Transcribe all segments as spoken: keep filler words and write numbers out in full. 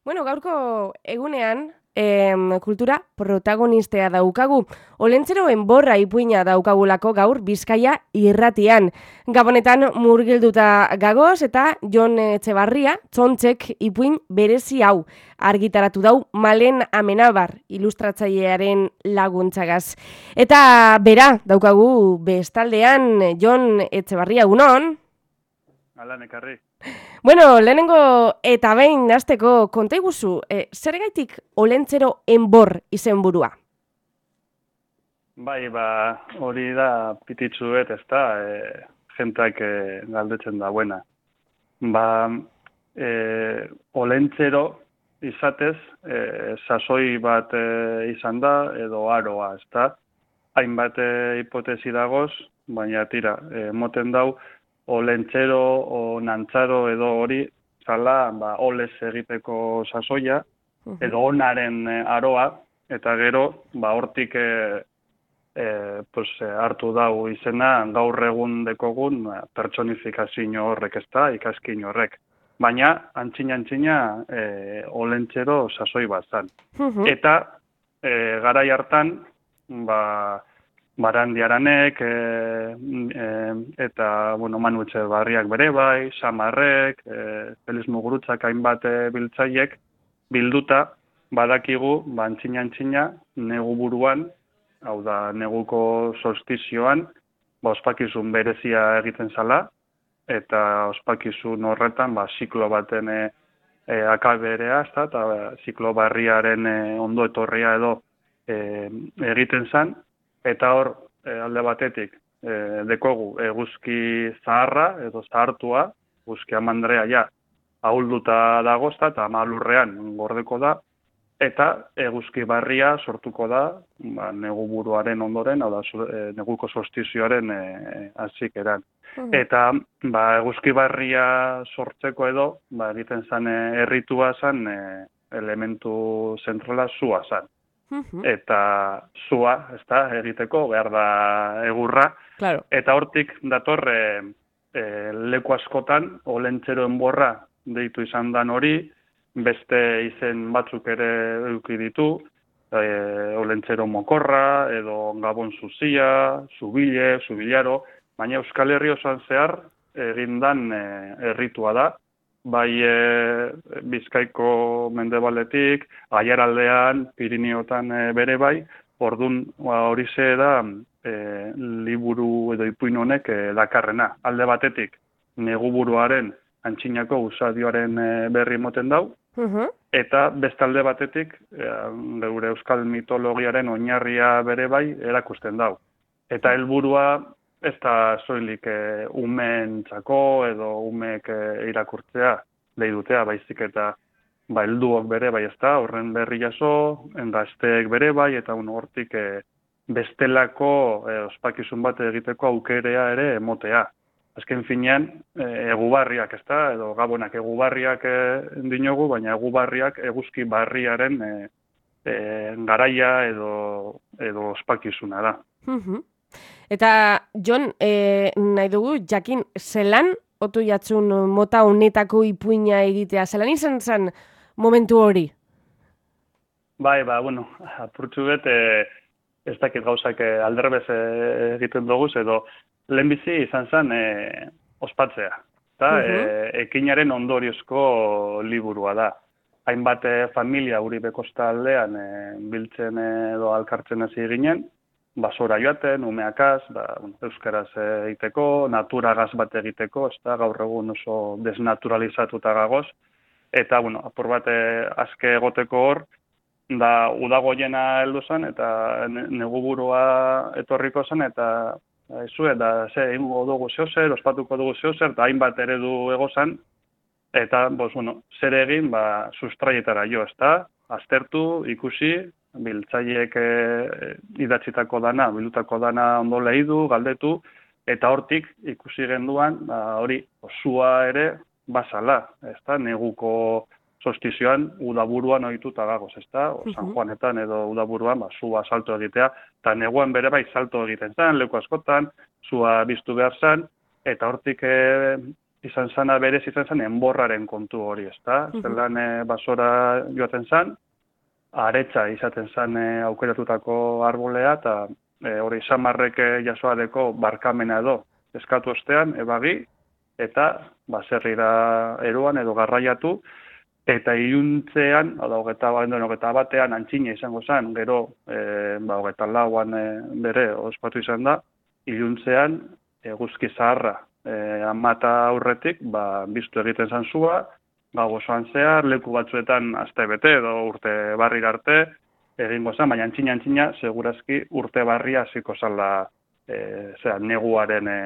Bueno, gaurko egunean, em, kultura protagonistea daukagu. Olentzero enborra ipuina daukagulako gaur Bizkaia irratian. Gabonetan murgilduta gagoz eta Jon Etxebarria txontzek ipuin berezi hau argitaratu dau Malen Amenabar ilustratzailearen laguntzagaz. Eta bera daukagu bestaldean Jon Etxebarria, egunon. Alan ekarri. Bueno, lehenengo eta behin hasteko konta iguzu, e, zergaitik Olentzero enbor izenburua? Bai, ba, hori da pititzuet, ez da, e, jentak e, galdetzen da buena. Ba, e, Olentzero izatez, e, sasoi bat e, izan da, edo aroa, ez da. Hainbat e, hipotesi dagoz, baina tira, e, moten dau, Olentzero o nantzaro edo hori, zala, ba, olez egiteko sasoia, edo onaren e, aroa, eta gero, ba, hortik e, e, pues, e, hartu dau izena gaur egun dekogun pertsonifikazio horrek, ez da, ikaskin horrek. Baina, antzina-antzina, e, Olentzero sasoi bat zan. Eta, e, garai hartan, ba, Barandiaranek, e, e, eta, bueno, Manu Etxebarriak bere bai, Samarrek, e, Feliz Mugurutzak hainbat e, biltzaiek, bilduta, badakigu, ba, antzina-antzina, negu buruan, hau da, neguko solstizioan, ba, ospakizun berezia egiten zala, eta ospakizun horretan, ba, ziklo baten e, e, akaberea, ez da, eta ba, ziklo barriaren e, ondo etorria edo e, egiten zan, eta hor, e, alde batetik, e, dekogu eguzki zaharra edo zahartua, eguzki amandrea ja, ahulduta dagozta eta malurrean gordeko da, eta eguzki barria sortuko da, ba, negu buruaren ondoren, hau da, e, neguko solstizioaren e, hasieran. Eta ba, eguzki barria sortzeko edo, ba, egiten zen e, erritua zen, e, elementu zentrala zua zen. Eta zua, ez da, egiteko, behar da egurra. Claro. Eta hortik datorre e, leku askotan, Olentzero enborra deitu izan dan hori, beste izen batzuk ere eduki ditu, e, Olentzero mokorra, edo Gabon zuzia, zubile, zubilaro, baina Euskal Herri osoan zehar egindan e, erritua da, bai e, Bizkaiko mendebaletik, Aiaraldean, Pirineotan e, bere bai, ordun horixe da e, liburu edo ipuin honek e, dakarrena. Alde batetik, neguburuaren antzinako usadioaren e, berri moten dau, eta bestalde batetik, e, geure euskal mitologiaren oinarria bere bai erakusten dau. Eta helburua ez da soilik e, umeentzako edo umeek e, irakurtzea, leidutea, baizik eta ba, helduok bere bai ez da, horren berri jaso, gazteek bere bai, eta un, hortik e, bestelako e, ospakizun bat egiteko aukerea ere emotea. Azken finean, e, egubarriak ez da, edo gabonak egubarriak e, dinogu, baina egubarriak eguzki barriaren e, e, garaia edo, edo ospakizuna da. Eta, Jon, e, nahi dugu, jakin, zelan otu jatzun mota honetako ipuina egitea? Zelan izan zen momentu hori? Bai, ba, bueno, apurtxu bet, e, ez dakit gauzak e, alderbez e, egiten dugu, edo lehenbizi izan zen e, ospatzea. Eta, e, ekinaren ondoriozko liburua da. Hainbat e, familia Uribe kostaldean e, biltzen edo alkartzen hasi ginen, basora joaten, umeakaz, ba, euskaraz egiteko, naturagaz bat egiteko, ez da, gaur egun oso desnaturalizatuta gagoz, eta, bueno, apur bat azke egoteko hor, da, udagoiena heldu zen, eta neguburua etorriko zen, eta ezu, eta ze, egingo dugu zehozer, ospatuko dugu zehozer, eta hainbat eredu egozan, eta, bos, bueno, zer egin, ba, sustraietara jo, ez da, aztertu, ikusi, biltzaiek e, idatzitako dana, bildutako dana ondo lehidu, galdetu, eta hortik ikusi genduan, ba, hori, osua ere basala, ez da, neguko solstizioan udaburuan ohituta gagoz, ez da, o San Juanetan edo udaburuan, ba, zua salto egitea, eta neguan bere bai salto egiten zen, leku askotan, zua biztu behar zen, eta hortik e, izan zana berez izan zen enborraren kontu hori, ezta? Mhm. Zelan e, basora joaten zan, aretsa izaten zen e, aukeratutako arbolea, eta e, hori samarrek e, jasoadeko barkamena edo eskatu ostean, ebagi, eta baserrira eroan edo garraiatu, eta iluntzean, hau da, hogeta, hogeta batean antzina izango zen, gero, e, ba, hogeta lauan e, bere ospatu izan da, iluntzean eguzki zaharra e, amata aurretik, ba, biztu egiten zan zua, gau osoan zehar, leku batzuetan aste bete edo urte barrira arte, egingo zen, baina antzina antzina, segurazki urte barria hasiko zala e, zera, neguaren e,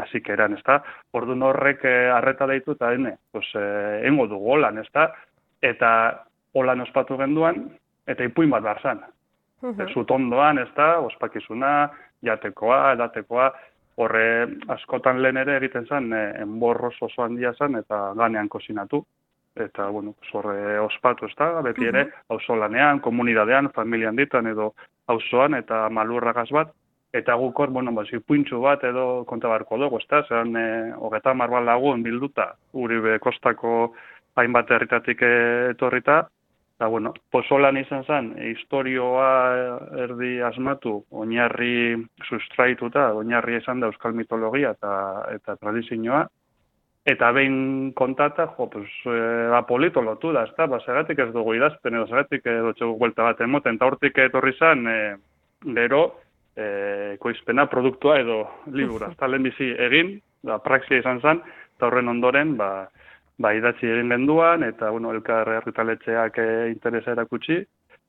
hasikeran, ezta? Orduan horrek e, arreta deitu eta hene, pues, e, engo dugu holan, ezta? Eta holan ospatu genduan, eta ipuin bat behar zan. Mhm. Zutondoan, ezta? Ospakizuna, jatekoa, edatekoa, horre askotan lehen ere egiten zen, e, enborroz oso handia zen, eta ganean kozinatu. Eta, bueno, horre ospatu, ez da, beti ere, auzolanean, komunidadean, familian ditan edo auzoan eta malurragaz bat, eta gukor, bueno, ba, zipuintxu bat edo konta barko dugu, ez da, zeran, e, hogeta marbat lagun bilduta, Uribe kostako hainbat herritatik etorrita, eta, bueno, pozolan izan zen, historioa erdi asmatu, oinarri sustraituta, oinarri izan da euskal mitologia eta, eta tradizioa, eta behin kontata, jo, pues, e, apolito lotu da, ezta, ba, zeratik ez dugu idazten, edo zeratik edo txegu guelta bat emoten, eta hortik etorri zen, e, gero, e, ekoizpena, produktua edo libura, ezta, lehen bizi egin, da, praxia izan zen, eta horren ondoren, ba, ba idatzi egin genduan, eta, bueno, elkar argitaletxeak e, interesa erakutsi,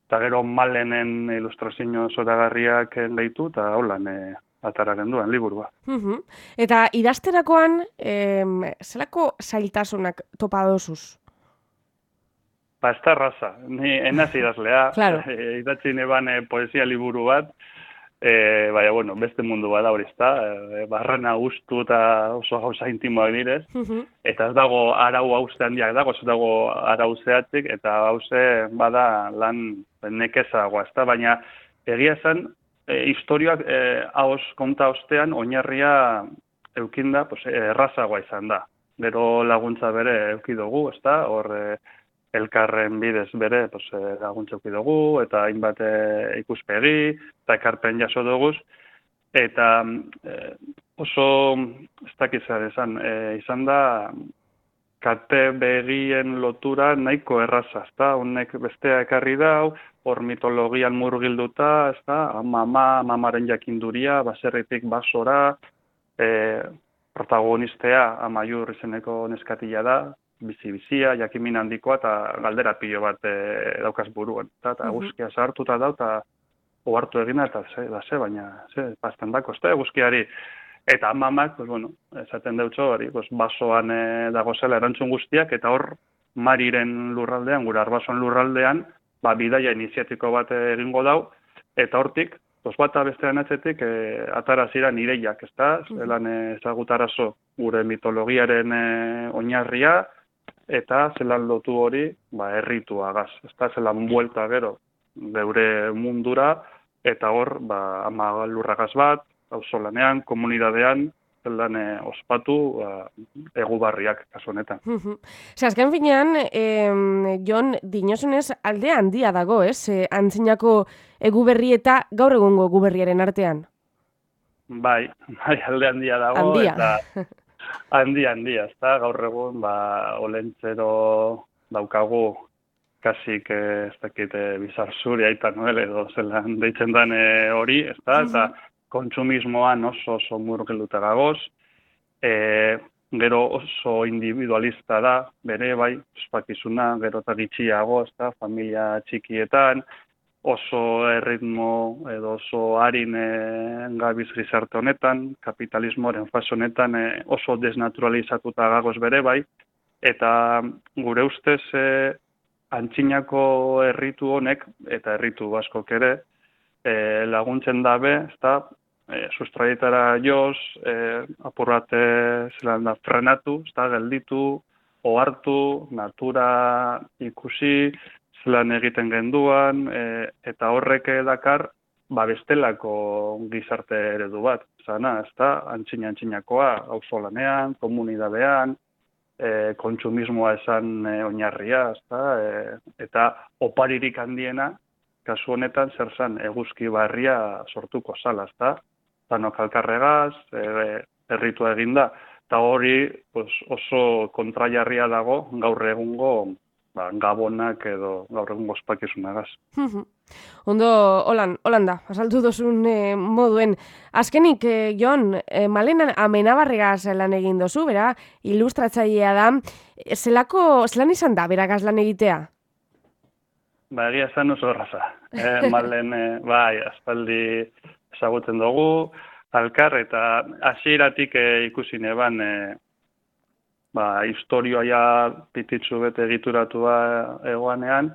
eta gero malenen ilustrazio zoragarriak gehitu, eta holan, e, atara genduan, liburua. Mhm. Eta idazterakoan, em, zelako zailtasunak topa dozuz? Ba, ez da raza. Ni enaz idazlea, Claro. e, idatzi neban e, poesia liburu bat, e, baina, bueno, beste mundu bada hori ezta, e, barrena guztu eta oso gauza intimoak direz, Mhm. eta ez dago arau hauze handiak dago, ez dago arau zehatzik, eta hauze bada lan nekezagoa, ez da, baina egia zen, E, historioak e, haoz konta ostean oinarria eukinda, pues, errazagoa izan da. Gero laguntza bere eukidugu, ezta? Hor e, elkarren bidez bere pues, e, laguntza eukidugu, eta hainbat e, ikuspegi, eta ekarpen jaso dugu. Eta e, oso, ez dakizar izan, e, izan da, kate begien lotura nahiko erraza, ezta? Honek bestea ekarri dau, hor mitologian murgilduta, ezta? Mama, mamaren jakinduria, baserritik basora, e, protagonistea Amaiur izeneko neskatila da, bizi-bizia, jakimin handikoa, eta galdera pilo bat e, daukaz buruan. Eta, eta guzkia sartuta da, eta ohartu egina, eta ze, da ze, baina, ze, pasten dako, ezta? Guzkiari. Eta mamak, pues, bueno, esaten deutxo, hori, pues, basoan e, dago zela erantzun guztiak, eta hor Mariren lurraldean, gure Arbasoan lurraldean, ba, bidaia iniziatiko bat egingo dau, eta hortik, pues, bata bestean atzetik, e, atara ziren ireiak, ezta? Zelan ezagutarazo gure mitologiaren e, oinarria, eta zelan lotu hori, ba, errituagaz, ezta? Zelan buelta gero, geure mundura, eta hor, ba, ama lurragaz bat, auzolanean, komunidadean, zelan e, ospatu ba, egubarriak kasu honetan. Ze azken finean, eh, Jon, dinosunez alde handia dago, ez? Eh, antzinako eguberri eta gaur egungo eguberriaren artean. Bai, bai, alde handia dago, handia. eta handia, handia, ezta? Gaur egun, ba, olentzero daukagu, kasik, ez dakit, bizar zuri, aita noel, edo zelan deitzen den hori, ezta? Eta kontsumismoan oso oso murgilduta gagoz, e, gero oso individualista da, bere bai, ospakizuna, gero eta gitxiago, ezta, familia txikietan, oso erritmo edo oso harin e, gabiz gizarte honetan, kapitalismoaren fase honetan e, oso desnaturalizatuta gagoz bere bai, eta gure ustez e, antzinako erritu honek, eta erritu askok ere, E, laguntzen dabe, ezta, e, sustraietara joz, e, apur bat e, zelan da, frenatu, ezta, gelditu, ohartu, natura ikusi, zelan egiten genduan, e, eta horrek dakar, ba, bestelako gizarte eredu bat, zana, ezta, antzina-antzinakoa, auzolanean, komunidadean, e, kontsumismoa esan e, oinarria, ezta? E, eta oparirik handiena, kasu honetan, zer zan, eguzki barria sortuko zala, ezta? Zanok alkarregaz, e, erritua eginda, eta hori pues, oso kontrajarria dago gaur egungo ba, gabonak edo gaur egungo ospakizunagaz. Ondo, holan, holan da, asaltu dozun eh, moduen. Azkenik, eh, Jon, eh, Malen Amenabarregaz lan egin dozu, bera, ilustratzailea da. Zelako, zelan izan da, berakaz lan egitea? Ba, egia esan oso erraza. Eh, Malen, eh, bai, aspaldi ezagutzen dugu, alkar, eta hasieratik eh, ikusi neban, eh, ba, historioa ja pititzu bete egituratua egoanean,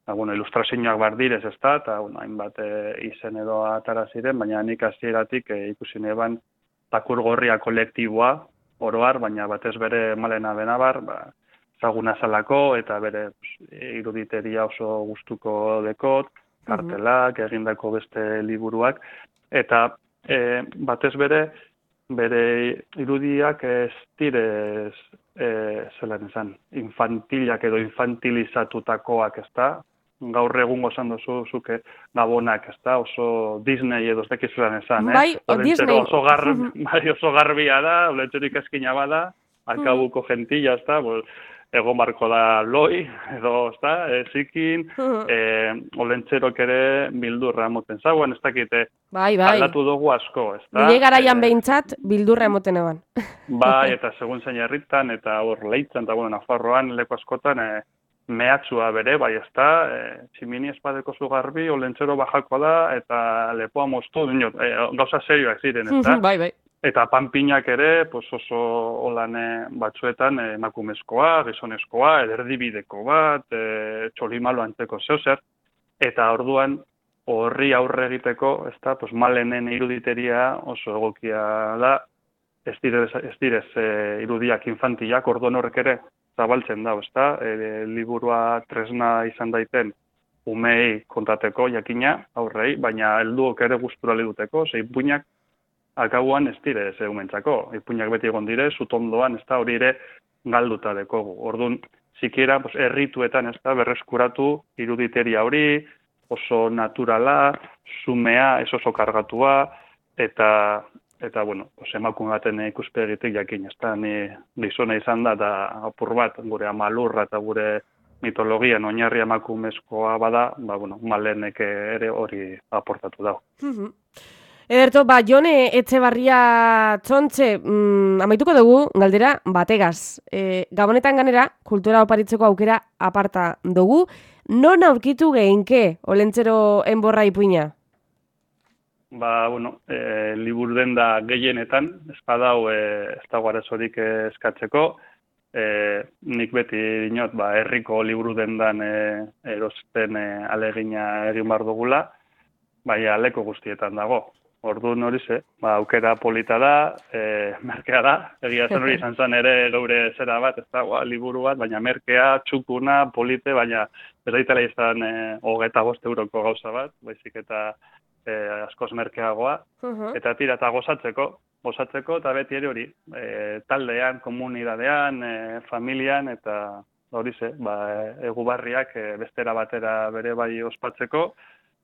ba, bueno, ilustrazioak bardirez ez da, eta bueno, hainbat e, izen edo atara ziren, baina nik hasieratik e, ikusi neban takur gorria kolektiboa, oroar, baina batez bere Malen Amenabar, ba, ezaguna zalako, eta bere pues, iruditeria oso gustuko dekot, kartelak, egindako beste liburuak, eta e, batez bere, bere irudiak ez direz, e, zelan esan, infantilak edo infantilizatutakoak, ez da? Gaur egungo esan duzu, zuke gabonak, ez da? Oso Disney edo ez dekizulan esan, eh? Bai, o Disney. Oso, gar, bai, oso garbia da, olentzerik eskina bada, alkabuko gentilla, ez da? Bol, egon barko da loi, edo, ez da, e, zikin, e, olentzerok ere bildurra emoten zagoen, ez dakite, bai, bai. aldatu dugu asko, ez da. Nire garaian e, behintzat bildurra emoten eban. Bai, eta segun zein herritan, eta hor leitzen, eta bueno, Nafarroan, leku askotan, e, mehatxua bere, bai, ez da, e, tximini espadeko zu garbi, olentzero bajako da, eta lepoa moztu, dinot, e, gauza serioak ziren, ez da. Bai, bai. Eta panpinak ere, pues oso holan batzuetan emakumezkoa, gizonezkoa, erdibideko bat, e, txolimalo antzeko zeozer, eta orduan horri aurre egiteko, ez da, pues Malenen iruditeria oso egokia da, ez direz, ez direz e, irudiak infantilak, orduan horrek ere zabaltzen da, ez da, e, liburua tresna izan daiten umei kontateko jakina aurrei, baina helduok ere gustura liduteko, ze ipuinak akauan ez dire ze umentzako. Ipuinak beti egon dire, zutondoan, ez da, hori ere galduta dekogu. Orduan, zikiera, pues, errituetan, ez da, berreskuratu iruditeria hori, oso naturala, zumea, ez oso kargatua, eta, eta bueno, pues, emakume baten ikuspegitik jakin, ez da, ni gizona izan da, eta apur bat, gure amalurra eta gure mitologian oinarri emakumezkoa bada, ba, bueno, Malenek ere hori aportatu dago. Ederto, ba, Jone Etxebarria Txontxe, mm, amaituko dugu, galdera, bategaz. E, Gabonetan ganera, kultura oparitzeko aukera aparta dugu. Non aurkitu geinke, olentzero enborra ipuina? Ba, bueno, e, libur denda gehienetan, espadau e, ez dago arazorik eskatzeko. E, nik beti dinot, ba, herriko liburu dendan e, erosten e, alegina egin bar dugula, baina leko guztietan dago. Orduan hori ze, ba, aukera polita da, e, merkea da, egia zen hori izan zen ere gaure zera bat, ez da, ba, liburu bat, baina merkea, txukuna, polite, baina ez daitela izan e, hogeta bost euroko gauza bat, baizik eta e, askoz merkeagoa, eta tira eta gozatzeko, gozatzeko, eta beti ere hori, e, taldean, komunidadean, e, familian, eta hori ze, ba, egubarriak e, bestera batera bere bai ospatzeko,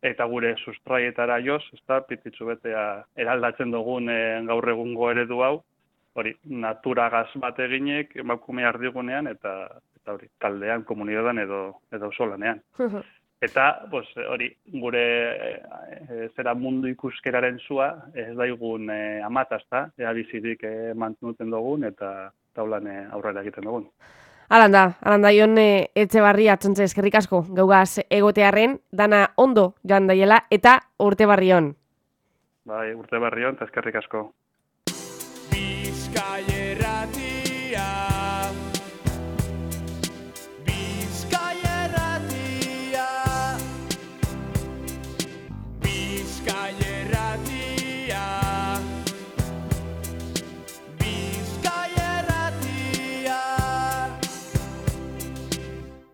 eta gure sustraietara joz, ez da, pititzu betea eraldatzen dugun e, gaur egungo eredu hau, hori, naturagaz bat eginek, emakume ardigunean, eta, eta hori, taldean, komunidadean edo, edo solanean. Eta, pues, hori, gure e, e, zera mundu ikuskeraren zua, ez daigun e, amatazta, ea bizirik e, mantenuten dugun, eta taulan e, aurrera egiten dugun. Alanda, alanda Jon Etxebarria Txontxe, eskerrik asko, gaugaz egotearren, dana ondo joan daiela, eta urte barrion. Bai, urte barrion, eta eskerrik asko. Bizkaia irratia